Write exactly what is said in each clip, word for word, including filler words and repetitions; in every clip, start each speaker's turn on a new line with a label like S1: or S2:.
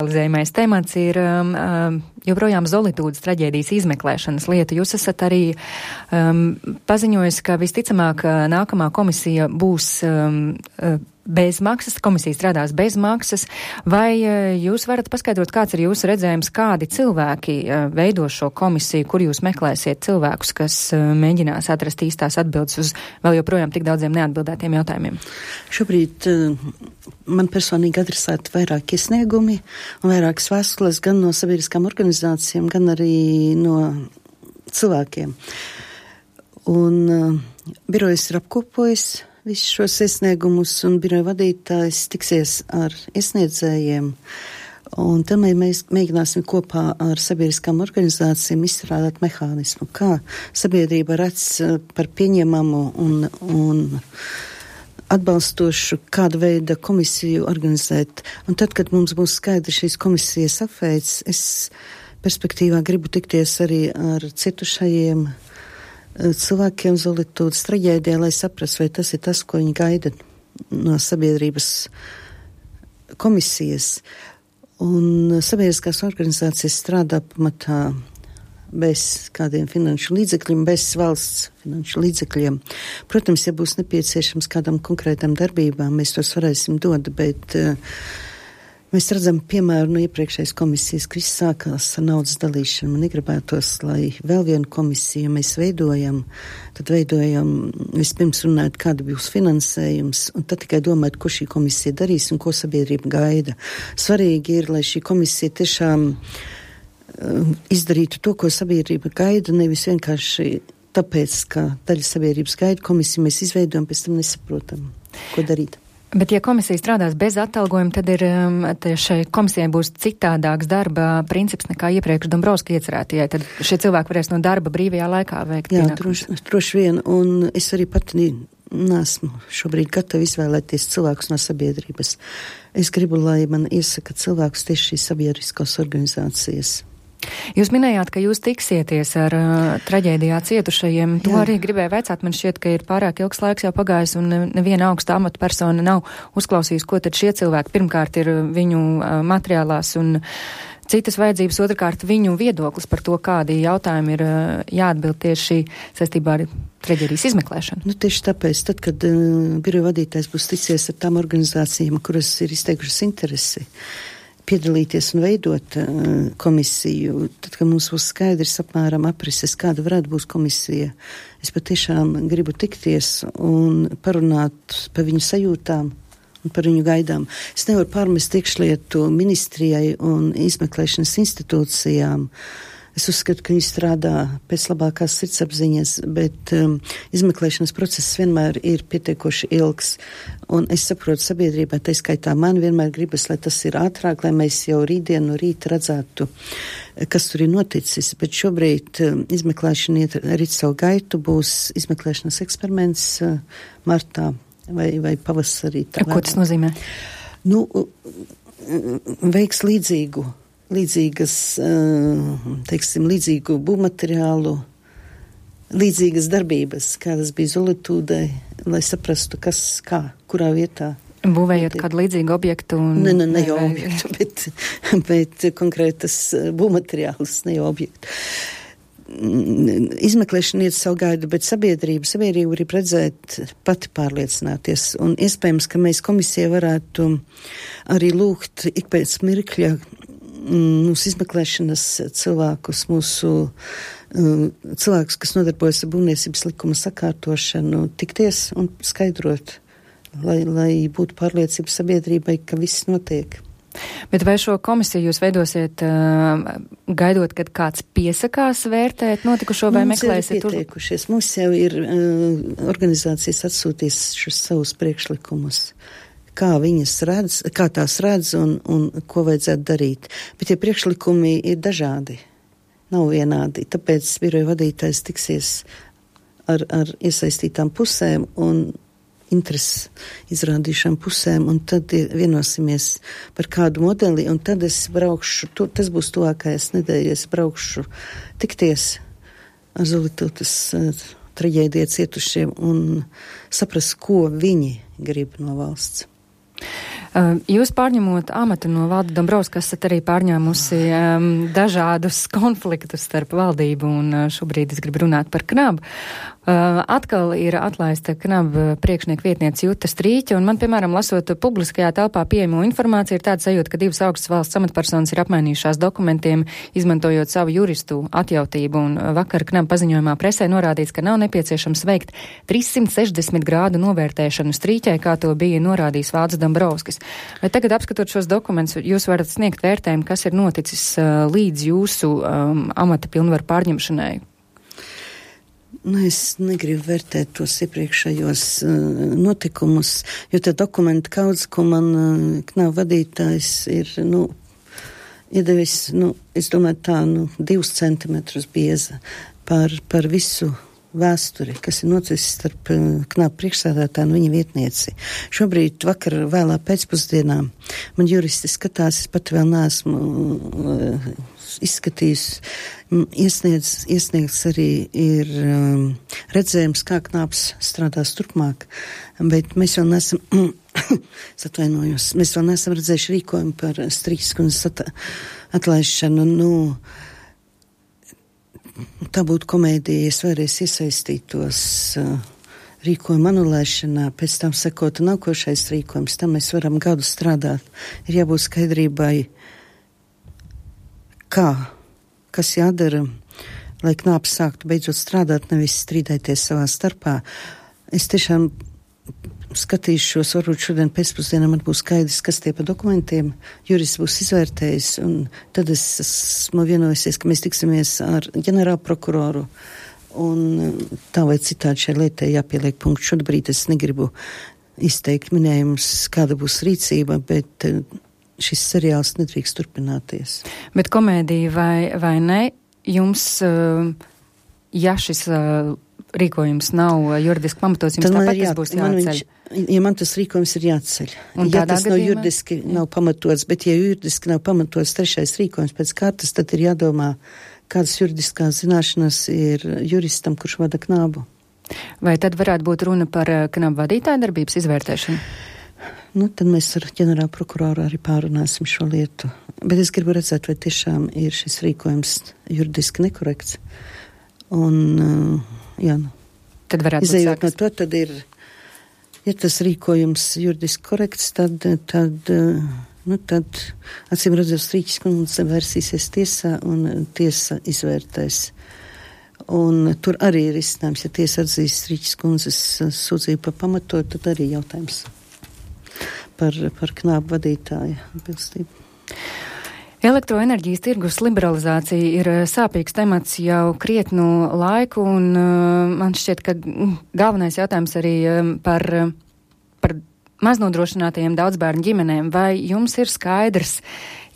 S1: aktualizējamais temats ir um, joprojām Zolitūdas traģēdijas izmeklēšanas lieta. Jūs esat arī um, paziņojis, ka visticamāk nākamā komisija būs um, bez maksas, komisija strādās bez maksas. Vai jūs varat paskaidrot, kāds ir jūsu redzējums, kādi cilvēki veido šo komisiju, kur jūs meklēsiet cilvēkus, kas mēģinās atrast īstās atbildes uz vēl joprojām tik daudziem neatbildētiem jautājumiem?
S2: Šobrīd man personīgi adresēti vairāk iesniegumi un vairākas vēstules gan no sabiedriskām organizācijām, gan arī no cilvēkiem. Un uh, birojas ir apkopojis visus šos iesniegumus, un biroja vadītājs tiksies ar iesniedzējiem, un tad mēs mēģināsim kopā ar sabiedriskām organizācijām izstrādāt mehānismu, kā sabiedrība redz par pieņemamu un, un atbalstošu kādu veidu komisiju organizēt. Un tad, kad mums būs skaidrs šīs komisijas apveids, es perspektīvā gribu tikties arī ar cietušajiem cilvēkiem Zolitūdas traģēdijā, lai saprastu, vai tas ir tas, ko viņi gaida no sabiedrības komisijas. Un sabiedriskās organizācijas strādā pamatā bez kādiem finanšu līdzekļiem, bez valsts finanšu līdzekļiem. Protams, ja būs nepieciešams kādam konkrētam darbībām, mēs tos varēsim dot, bet uh, mēs redzam piemēru no iepriekšējas komisijas, ka viss sākās ar naudas dalīšanu. Man negribētos, lai vēl vienu komisiju mēs veidojam, tad veidojam vispirms runāt, kāda būs finansējums, un tad tikai domāt, ko šī komisija darīs un ko sabiedrība gaida. Svarīgi ir, lai šī komisija tiešām uh, izdarītu to, ko sabiedrība gaida, nevis vienkārši tāpēc, ka daļa sabiedrības gaida komisiju, mēs izveidojam, pēc tam nesaprotam, ko darīt.
S1: Bet, ja komisija strādās bez atalgojuma, tad ir, šai komisijai būs citādāks darba princips nekā iepriekš Dombrovska iecerētajai. Tad šie cilvēki varēs no darba brīvajā laikā veikt.
S2: Jā, droši, droši vien, un es arī pati nesmu šobrīd gatavi izvēlēties cilvēkus no sabiedrības. Es gribu, lai man iesaka cilvēkus tieši šīs sabiedriskās organizācijas.
S1: Jūs minējāt, ka jūs tiksieties ar uh, traģēdijā cietušajiem. To Jā. Arī gribēju vaicāt. Man šķiet, ka ir pārāk ilgs laiks jau pagājis un neviena augsta amata persona nav uzklausījusi, ko tad šie cilvēki pirmkārt ir viņu uh, materiālās un citas vajadzības, otrkārt viņu viedoklis par to, kādi jautājumi ir uh, jāatbild tieši saistībā ar traģēdijas izmeklēšanu.
S2: Nu, tieši tāpēc, tad, kad uh, biroja vadītājs būs ticies ar tām organizācijām, kuras ir izteikušas interesi piedalīties un veidot uh, komisiju, tad, kad mums būs skaidrs apmēram aprises, kāda varētu būt komisija, es patiešām gribu tikties un parunāt par viņu sajūtām un par viņu gaidām. Es nevaru pārmest iekšlietu ministrijai un izmeklēšanas institūcijām. Es uzskatu, ka viņi strādā pēc labākās sirdsapziņas, bet um, izmeklēšanas process vienmēr ir pietiekoši ilgs. Un es saprotu sabiedrībā, tā skaitā man vienmēr gribas, lai tas ir ātrāk, lai mēs jau rītdien no rīta redzētu, kas tur ir noticis. Bet šobrīd um, izmeklēšana iet arī savu gaitu, būs izmeklēšanas eksperiments uh, martā vai, vai pavasarī.
S1: Ko tas nozīmē?
S2: Nu, veiks līdzīgu. līdzīgas, teiksim, līdzīgu būvmateriālu, līdzīgas darbības, kādas bija Zolitūdai, lai saprastu, kas, kā, kurā vietā.
S1: Būvējot kādu līdzīgu objektu? Un...
S2: Ne, ne, ne jau objektu, bet, bet konkrētas būvmateriālus, ne jau objektu. Izmeklēšana iet savu gaidu, bet sabiedrība, sabiedrība arī redzēt, pati pārliecināties. Un iespējams, ka mēs komisijai varētu arī lūgt ik pēc mirkļa mūsu izmeklēšanas cilvēkus, mūsu uh, cilvēkus, kas nodarbojas ar būvniecības likuma sakārtošanu, tikties un skaidrot, lai, lai būtu pārliecība sabiedrībai, ka viss notiek.
S1: Bet vai šo komisiju jūs veidosiet uh, gaidot, kad kāds piesakās vērtēt notikušo vai
S2: mums
S1: meklēsiet?
S2: Mums ir pieteikušies, mums jau ir uh, organizācijas atsūtīs šos savus priekšlikumus. Kā viņas redz, kā tās redz un, un ko vajadzētu darīt. Bet tie priekšlikumi ir dažādi, nav vienādi. Tāpēc biroja vadītājs tiksies ar, ar iesaistītām pusēm un interesi izrādīšām pusēm, un tad vienosimies par kādu modeli, un tad es braukšu, to, tas būs tuvākais nedēļas, braukšu tikties ar Zolitūdas uh, traģēdijā cietušiem un saprast, ko viņi grib no valsts.
S1: Jūs pārņemot amatu no Valda Dombrovska, esat arī pārņēmusi um, dažādus konfliktus starp valdību un uh, šobrīd es gribu runāt par Knabu. Uh, atkal ir atlaista Knaba priekšnieku vietniece Juta Strīķa, un man, piemēram, lasot publiskajā telpā pieejamo informāciju, ir tāda sajūta, ka divas augstas valsts amatpersonas ir apmainījušās dokumentiem, izmantojot savu juristu atjautību, un vakar Knaba paziņojumā presē norādīts, ka nav nepieciešams veikt trīssimt sešdesmit grādu novērtēšanu Strīķai, kā to bija norādījis Valds Dombrovskis. Vai tagad, apskatot šos dokumentus, jūs varat sniegt vērtējumu, kas ir noticis uh, līdz jūsu um, amata pilnvaru pārņemšanai?
S2: Nu, es negribu vērtēt tos iepriekšējos uh, notikumus, jo tie dokumenti kaudz, ko man uh, Knaba vadītājs ir, nu, iedevis, nu, es domāju tā, nu, divus centimetrus bieza par, par visu vēsturi, kas ir noticis starp uh, Knaba priekšsēdētāju un viņa vietnieci. Šobrīd vakar vēlā pēcpusdienā man juristi skatās, es pat vēl neesmu uh, izskatījis, iesniedz, iesniegts arī ir um, redzējums, kā Knabs strādās turpmāk, bet mēs vēl nesam, atvainojos, mēs vēl nesam redzējuši rīkojumu par Strīķas kundzes at, atlaišanu. Nu, tā būtu komēdija, ja es vēlreiz iesaistītos uh, rīkojuma anulēšanā, pēc tam sekot nākošais rīkojums, tam mēs varam gadu strādāt. Ir jābūt skaidrībai, kā, kas jādara, lai Knabs sāktu beidzot strādāt, nevis strīdēties savā starpā. Es tiešām skatīšos, varbūt šodien pēcpusdienā man būs skaidrs, kas tie pa dokumentiem, jurists būs izvērtējis, un tad es esmu vienojusies, ka mēs tiksimies ar ģenerālu prokuroru, un tā vai citādi šai lietai jāpieliek punkts. Šobrīd es negribu izteikt minējumus, kāda būs rīcība, bet šis seriāls nedrīkst turpināties. Bet
S1: komēdija vai, vai ne, jums, ja šis rīkojums nav juridiski pamatots, jums tāpat tas būs jāceļ?
S2: Viņš, ja man tas rīkojums ir jāceļ. Un ja tas gadījumā? nav juridiski jā. nav pamatots, bet ja juridiski nav pamatots trešais rīkojums pēc kārtas, tad ir jādomā, kādas juridiskās zināšanas ir juristam, kurš vada Knabu.
S1: Vai tad varētu būt runa par Knabu vadītāju darbības izvērtēšanu?
S2: Nu, tad mēs ar ģenerālu prokuroru arī pārunāsim šo lietu. Bet es gribu redzēt, vai tiešām ir šis rīkojums juridiski nekorekts. Un, jā, nu.
S1: Tad varētu
S2: izējot no to, tad ir, ja tas rīkojums juridiski korekts, tad, tad, nu, tad acīm redzot, Strīķas kundze vērsīsies tiesā un tiesa izvērtēs. Un tur arī ir izcinājums, ja tiesa atzīst Strīķas kundzes sūdzību par pamatot, tad arī jautājums par, par Knabu vadītāju atbilstību.
S1: Elektroenerģijas tirgus liberalizācija ir sāpīgs temats jau krietnu laiku, un uh, man šķiet, ka galvenais jautājums arī um, par, par maznodrošinātajiem daudzbērnu ģimenēm. Vai jums ir skaidrs,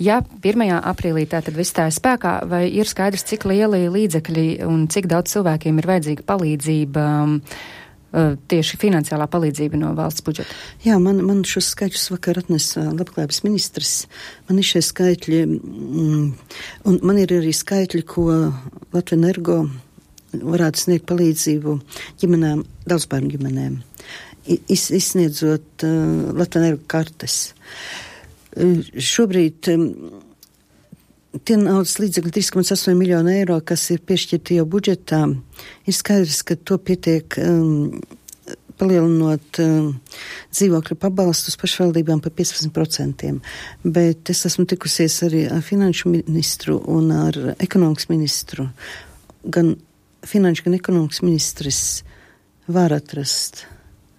S1: ja pirmajā aprīlī tātad viss tā ir spēkā, vai ir skaidrs, cik lieli līdzekļi un cik daudz cilvēkiem ir vajadzīga palīdzība, um, tieši finansiālā palīdzība no valsts budžeta?
S2: Jā, man, man šos skaitļus vakar atnesa labklājības ministrs. Man ir šie skaitļi, mm, un man ir arī skaitļi, ko Latvijas Energo varētu sniegt palīdzību ģimenēm, daudzbērnu ģimenēm, iz, izsniedzot uh, Latvijas Energo kartes. Uh, šobrīd um, tie naudas līdzekļi trīs komats astoņi miljoni eiro, kas ir piešķirti jau budžetā, ir skaidrs, ka to pietiek um, palielinot um, dzīvokļu pabalstus pašvaldībām par piecpadsmit procentiem. Bet es esmu tikusies arī ar finanšu ministru un ar ekonomikas ministru. Gan finanšu, gan ekonomikas ministrs var atrast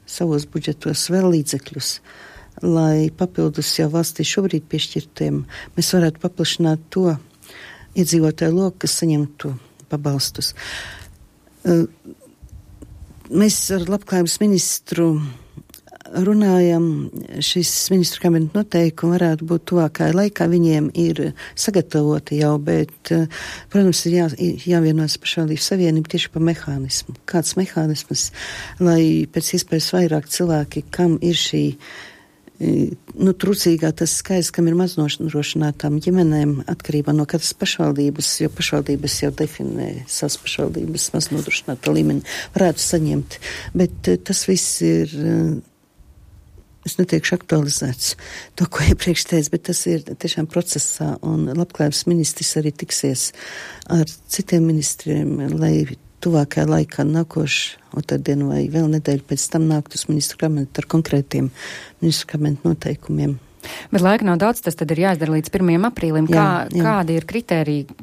S2: savos budžetos vēl līdzekļus, lai papildus jau valstī šobrīd piešķirtiem mēs varētu paplašināt to iedzīvotāju loku, kas saņemtu pabalstus. Mēs ar labklājības ministru runājam, šis ministru kabineta noteikumi varētu būt tuvākajā laikā, viņiem ir sagatavoti jau, bet, protams, ir jā, jāvienojas pašvaldības savienība tieši par mehānismu. Kāds mehānisms, lai pēc iespējas vairāk cilvēki, kam ir šī nu, trūcīgā tas skaits, kam ir maznodrošinātām ģimenēm atkarībā no katras pašvaldības, jo pašvaldības jau definē savas pašvaldības maznodrošinātā līmeni, varētu saņemt. Bet tas viss ir es neteikšu aktualizēts to, ko iepriekš teicu, bet tas ir tiešām procesā, un labklājības ministrs arī tiksies ar citiem ministriem, lai tuvākajā laikā nākošu otrdienu vai vēl nedēļu pēc tam nākt uz ministru kabinetu ar konkrētiem ministru kabinetu noteikumiem.
S1: Bet laika nav daudz, tas tad ir jāizdara līdz pirmajam aprīlim.
S2: Jā,
S1: Kā,
S2: jā.
S1: Kādi ir kriteriji,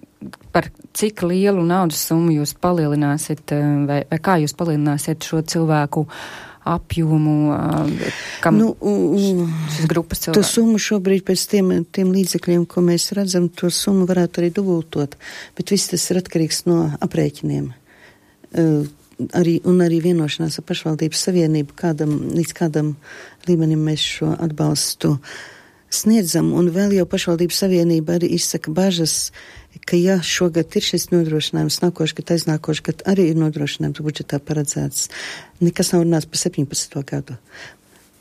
S1: par cik lielu naudas summu jūs palielināsiet, vai, vai kā jūs palielināsiet šo cilvēku apjomu, kam
S2: nu,
S1: šis grupas cilvēku?
S2: To summu šobrīd pēc tiem, tiem līdzekļiem, ko mēs redzam, to summu varētu arī dubultot, bet viss tas ir atkarīgs no aprēķiniem. Uh, arī, un arī vienošanās ar pašvaldības savienību, kādam, līdz kādam līmenim mēs šo atbalstu sniedzam, un vēl jau pašvaldības savienība arī izsaka bažas, ka ja šogad ir šis nodrošinājums, nākošu gadu, aiznākošu gadu arī ir nodrošinājums budžetā paredzēts, nekas nav runāts par septiņpadsmito gadu.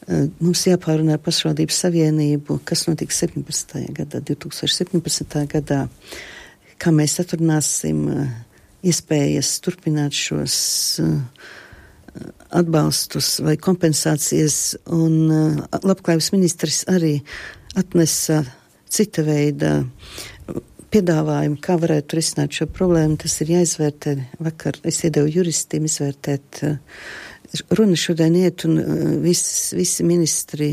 S2: Uh, mums jāpārunā ar pašvaldības savienību, kas notiks septiņpadsmitajā gadā, divtūkstoš septiņpadsmitajā gadā, kā mēs atrunāsim uh, iespējas turpināt šos uh, atbalstus vai kompensācijas, un uh, labklājības ministrs arī atnesa cita veida piedāvājumu, kā varētu risināt šo problēmu. Tas ir jāizvērtē. Vakar es iedevu juristiem izvērtēt. Uh, runa šodien iet, un uh, vis, visi ministri,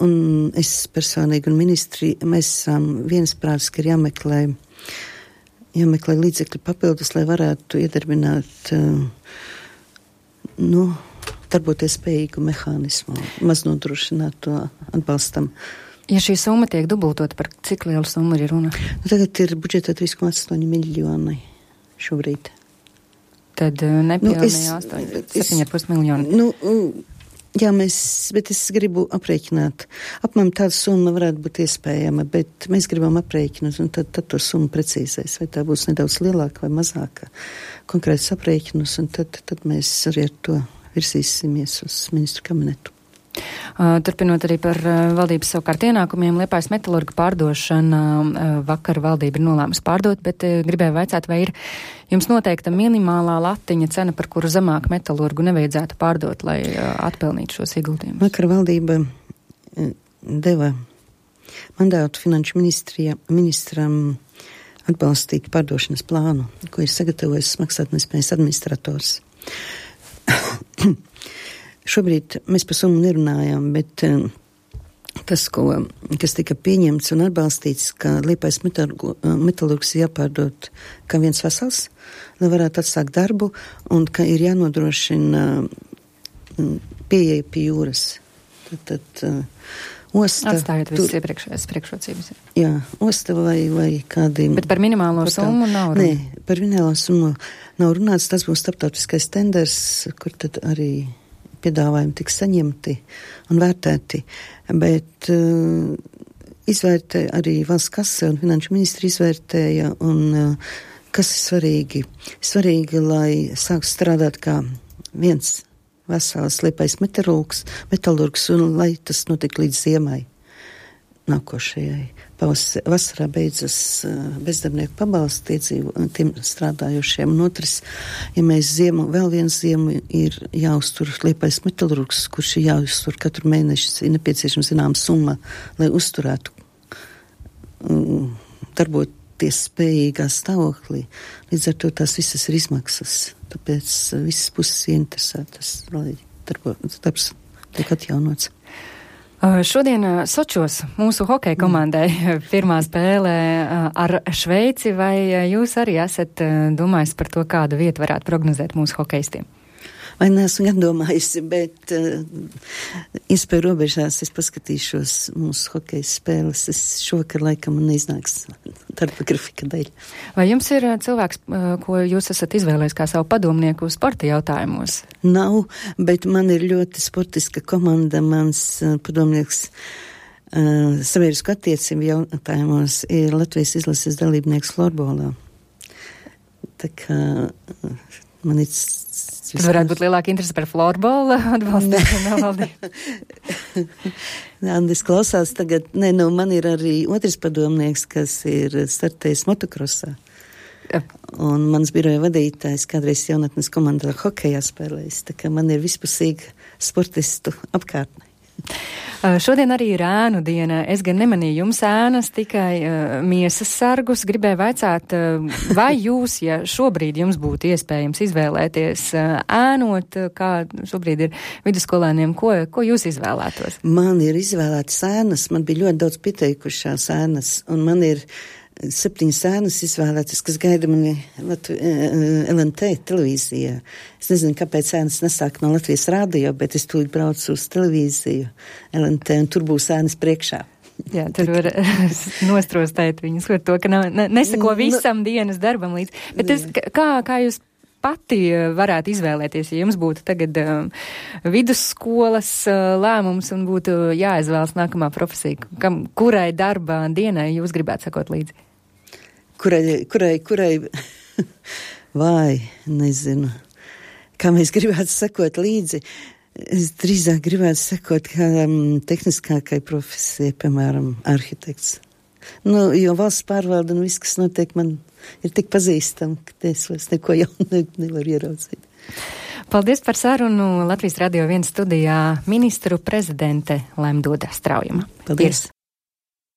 S2: un es personīgi un ministri, mēs esam viensprātis, ka ir jāmeklē jāmeklē līdzekļi papildus, lai varētu iedarbināt, nu, darboties spējīgu mehānismu, maznodrošināt to atbalstam.
S1: Ja šī summa tiek dubultot, par cik lielu summu ir runa?
S2: Nu, tagad ir budžetā trīs komats astoņi miljoni šobrīd.
S1: Tad nepilnīgi astoņi, septiņi ar pus miljoni.
S2: Nu, jā, mēs, bet es gribu aprēķināt. Apmēram tāda summa varētu būt iespējama, bet mēs gribam aprēķināt, un tad, tad to summu precīzēs, vai tā būs nedaudz lielāka vai mazāka. Konkrēts aprēķinus, un tad, tad mēs arī ar to virzīsimies uz ministru kabinetu.
S1: Uh, turpinot arī par uh, valdības savukārt ienākumiem, Liepājas metalurga pārdošana, uh, vakar valdība ir nolēmusi pārdot, bet uh, gribēju vaicāt, vai ir jums noteikta minimālā latiņa cena, par kuru zemāk metalurgu nevajadzētu pārdot, lai uh, atpelnītu šos ieguldījumus?
S2: Vakar valdība uh, deva mandātu finanšu ministram atbalstīt pārdošanas plānu, ko ir sagatavojis maksātnespējas administrators. Šobrīd mēs par summu nerunājām, bet uh, tas, ko, kas tika pieņemts un atbalstīts, ka Liepājas metalurgs jāpārdot kā viens vesels, lai varētu atsākt darbu, un ka ir jānodrošina uh, pieeja pie jūras. Tad, tad uh, osta...
S1: Atstājot visas tur... iepriekšējās priekšrocības.
S2: Jā, osta vai, vai kādiem...
S1: Bet par minimālo summu nav runa? Nē,
S2: par minimālo summu nav runāts, tas būs starptautiskais tenders, kur tad arī piedāvājumi tiks saņemti un vērtēti, bet uh, izvērtē arī valsts kase un finanšu ministri izvērtēja, un uh, kas ir svarīgi? Svarīgi, lai sāks strādāt kā viens vesels Liepājas metalurgs, metalurgs, un lai tas notiek līdz ziemai nākošajai. Pavas, vasarā beidzas uh, bezdarbnieku pabalsti tiem strādājušiem, un otrs, ja mēs ziemu, vēl viens ziemu ir jāuztur Liepājas metalurgs, kurš ir jāuztur katru mēnešu, ir nepieciešama zināma summa, lai uzturētu um, darboties spējīgā stāvoklī. Līdz ar to tās visas ir izmaksas, tāpēc uh, visas puses ieinteresētas, lai darbo, darbs tiek atjaunots.
S1: Šodien Sočos mūsu hokeja komandai pirmā spēlē ar Šveici, vai jūs arī esat domājis par to, kādu vietu varētu prognozēt mūsu hokeistiem?
S2: Vai neesmu iedomājusi, bet uh, iespēju robežās es paskatīšos mūsu hokeja spēles. Es šovakar laikam neiznāks darba grafika dēļ.
S1: Vai jums ir cilvēks, ko jūs esat izvēlējis kā savu padomnieku sporta jautājumos?
S2: Nav, bet man ir ļoti sportiska komanda. Mans uh, padomnieks uh, sabiedrisku attiecību jautājumos ir Latvijas izlases dalībnieks florbolā. Tā kā uh, man ir...
S1: Tas varētu būt lielāka interese par florbolu atbalstīšanu valdību.
S2: Andis klausās tagad, nē, nu, man ir arī otrs padomnieks, kas ir startējis motokrosā. Ja. Un mans biroja vadītājs kādreiz jaunatnes komandā hokejā spēlējis, tā kā man ir vispusīga sportistu apkārtne.
S1: Šodien arī ir ēnu diena. Es gan nemanīju jums ēnas, tikai uh, miesas sargus. Gribēju vaicāt, uh, vai jūs, ja šobrīd jums būtu iespējams izvēlēties uh, ēnot, kā šobrīd ir vidusskolēniem, ko, ko jūs izvēlētos?
S2: Man ir izvēlētas ēnas, man bija ļoti daudz pieteikušās ēnas, un man ir septiņas ēnas izvēlētas, kas gaida mani Latvi, L N T televīzijā. Es nezinu, kāpēc ēnas nesāk no Latvijas rādio, bet es tūlīt braucu uz televīziju L N T, un tur būs ēnas priekšā.
S1: Jā, tur var nostrostēt viņus ar to, ka nav, ne, nesako visam dienas darbam līdz. Bet es, kā, kā jūs pati varētu izvēlēties, ja jums būtu tagad um, vidusskolas uh, lēmums un būtu jāizvēlas nākamā profesija, kam, kurai darba dienai jūs gribētu sakot līdzi?
S2: Kurai, kurai, kurai, vai, nezinu, kā mēs gribētu sakot līdzi. Es drīzāk gribētu sakot kādam tehniskākai profesijai, piemēram, arhitekts. Nu, jo valsts pārvalda un viss, kas notiek, man ir tik pazīstam, ka es vairs neko jaunu ne, nevaru ieraudzīt.
S1: Paldies par sarunu. Latvijas Radio viens studijā ministru prezidente Lemdoda Straujuma.
S2: Paldies.